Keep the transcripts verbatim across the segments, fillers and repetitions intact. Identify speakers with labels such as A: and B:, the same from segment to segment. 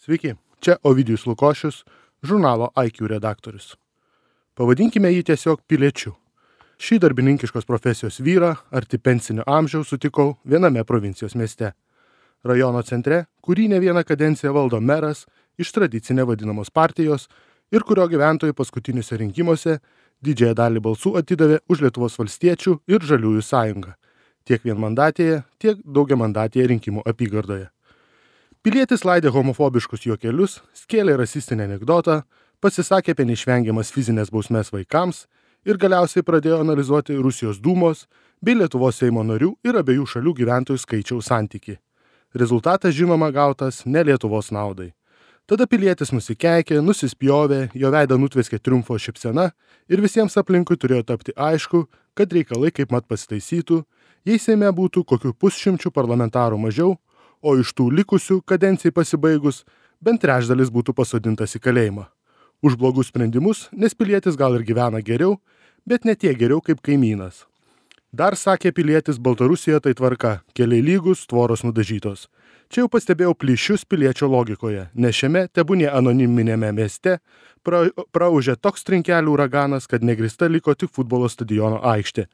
A: Sveiki, čia Ovidijus Lukošius, žurnalo I Q redaktorius. Pavadinkime jį tiesiog piliečiu. Šį darbininkiškos profesijos vyrą arti pensinio amžiaus sutikau viename provincijos mieste. Rajono centre, kurį ne vieną kadenciją valdo meras iš tradicinė vadinamos partijos ir kurio gyventojai paskutiniuose rinkimuose didžiąją dalį balsų atidavė už Lietuvos valstiečių ir Žaliųjų sąjungą, tiek vienmandatėje, tiek daugiamandatėje rinkimų apygardoje. Pilietis laidė homofobiškus juokelius, skėlė rasistinį anekdotą, pasisakė apie neišvengiamas fizinės bausmes vaikams ir galiausiai pradėjo analizuoti Rusijos dūmos bei Lietuvos Seimo narių ir abiejų šalių gyventojų skaičiaus santykį. Rezultatas žinoma gautas ne Lietuvos naudai. Tada pilietis nusikeikė, nusispjovė, jo veidą nutveskė triumfo šypsena ir visiems aplinkui turėjo tapti aišku, kad reikalai kaip mat pasitaisytų, jei Seime būtų kokių pusšimčių parlamentarų mažiau, o iš tų likusių kadencijai pasibaigus bent trečdalis būtų pasodintas į kalėjimą. Už blogus sprendimus, nes pilietis gal ir gyvena geriau, bet ne tiek geriau kaip kaimynas. Dar sakė pilietis, Baltarusijoje tai tvarka, keliai lygus, tvoros nudažytos. Čia jau pastebėjau plyšius piliečio logikoje, nes šiame tebūnie anoniminėme mieste pra, praužė toks trinkelių uraganas, kad negrįsta liko tik futbolo stadiono aikštė.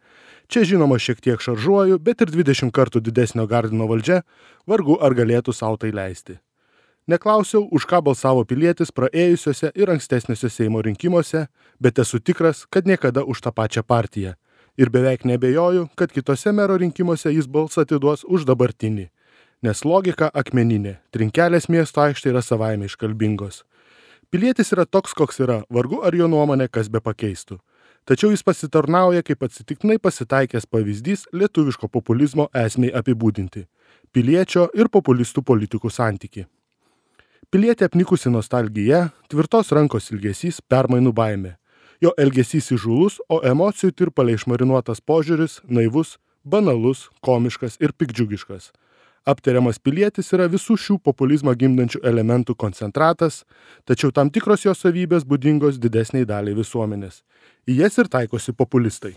A: Čia žinoma šiek tiek šaržuoju, bet ir dvidešimt kartų didesnio Gardino valdžia vargu ar galėtų sau tai leisti. Neklausiau, už ką balsavo pilietis praėjusiuose ir ankstesniuose Seimo rinkimuose, bet esu tikras, kad niekada už tą pačią partiją. Ir beveik nebejoju, kad kitose mero rinkimuose jis balsą atiduos už dabartinį. Nes logika akmeninė, trinkelės miesto aikštė yra savaime iškalbingos. Pilietis yra toks, koks yra, vargu ar jo nuomonė kas be pakeistų. Tačiau jis pasitarnauja kaip atsitiktinai pasitaikęs pavyzdys lietuviško populizmo esmei apibūdinti – piliečio ir populistų politikų santyki. Pilietė apnikusi nostalgija, tvirtos rankos ilgesys, permainų baimė. Jo elgesys įžūlus, o emocijų tirpaliai išmarinuotas požiūris, naivus, banalus, komiškas ir pikdžiugiškas. Aptariamas pilietis yra visų šių populizmą gimdančių elementų koncentratas, tačiau tam tikros jo savybės būdingos didesniai daliai visuomenės. Į jas ir taikosi populistai.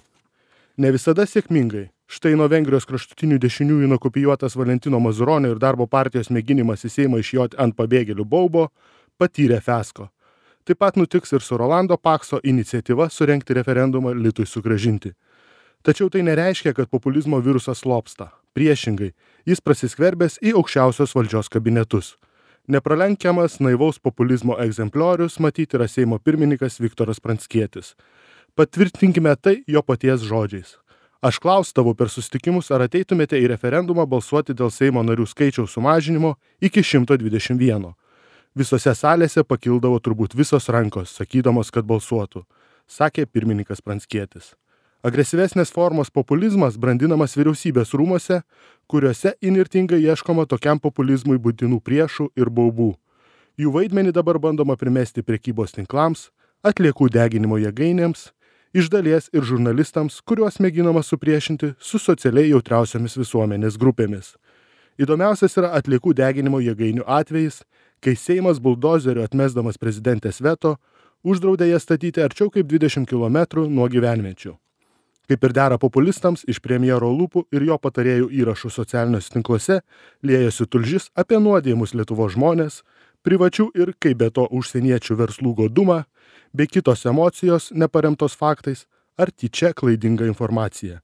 A: Ne visada sėkmingai. Štai nuo Vengrijos kraštutinių dešiniųjų nukopijuotas Valentino Mazuronio ir darbo partijos mėginimas į Seimą išjoti ant pabėgėlių baubo patyrė fiasko. Taip pat nutiks ir su Rolando Pakso iniciatyva surengti referendumą litui sugrąžinti. Tačiau tai nereiškia, kad populizmo virusas slopsta. Priešingai, jis prasiskverbęs į aukščiausios valdžios kabinetus. Nepralenkiamas naivaus populizmo egzempliorius matyti yra Seimo pirmininkas Viktoras Pranckietis. Patvirtinkime tai jo paties žodžiais. Aš klausdavau per susitikimus, ar ateitumėte į referendumą balsuoti dėl Seimo narių skaičiaus sumažinimo iki šimto dvidešimt vieno. Visose salėse pakildavo turbūt visos rankos, sakydamos, kad balsuotų, sakė pirmininkas Pranckietis. Agresyvesnės formos populizmas brandinamas vyriausybės rūmose, kuriuose inirtingai ieškoma tokiam populizmui būtinų priešų ir baubų. Jų vaidmenį dabar bandoma primesti prekybos tinklams, atliekų deginimo jėgainėms, iš dalies ir žurnalistams, kuriuos mėginama supriešinti su socialiai jautriausiomis visuomenės grupėmis. Įdomiausias yra atliekų deginimo jėgainių atvejis, kai Seimas buldozeriu atmesdamas prezidentės veto uždraudė jas statyti arčiau kaip dvidešimt kilometrų nuo gyvenviečių. Kaip ir dera populistams, iš premjero lūpų ir jo patarėjų įrašų socialiniuose tinkluose liejasi tulžis apie nuodijimus Lietuvos žmonės, privačių ir kaip be to užsieniečių verslų godumą, bei kitos emocijos neparemtos faktais ar tyčia klaidinga informacija.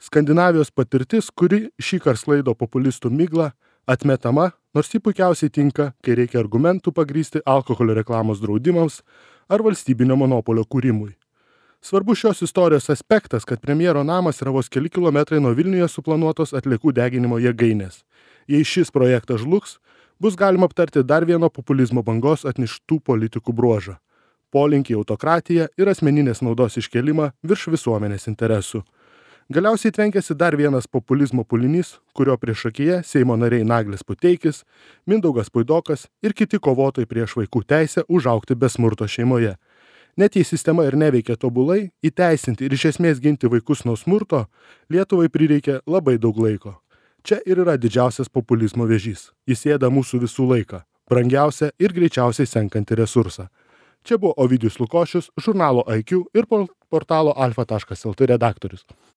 A: Skandinavijos patirtis, kuri šįkart sklaido populistų miglą, atmetama, nors ji puikiausiai tinka, kai reikia argumentų pagrįsti alkoholio reklamos draudimams ar valstybinio monopolio kūrimui. Svarbus šios istorijos aspektas, kad premjero namas yra vos keli kilometrai nuo Vilniuje suplanuotos atliekų deginimo jėgainės. Jei šis projektas žlugs, bus galima aptarti dar vieno populizmo bangos atneštų politikų bruožą – polinkį autokratiją ir asmeninės naudos iškelimą virš visuomenės interesų. Galiausiai tvenkėsi dar vienas populizmo pulinys, kurio priešakyje Seimo nariai Naglis Puteikis, Mindaugas Puidokas ir kiti kovotojai prieš vaikų teisę užaugti be smurto šeimoje. Net jei sistema ir neveikia tobulai, įteisinti ir iš esmės ginti vaikus nuo smurto Lietuvai prireikė labai daug laiko. Čia ir yra didžiausias populizmo vėžys. Jis ėda mūsų visų laiką, brangiausią ir greičiausiai senkantį resursą. Čia buvo Ovidijus Lukošius, žurnalo I Q ir portalo alfa taškas lt redaktorius.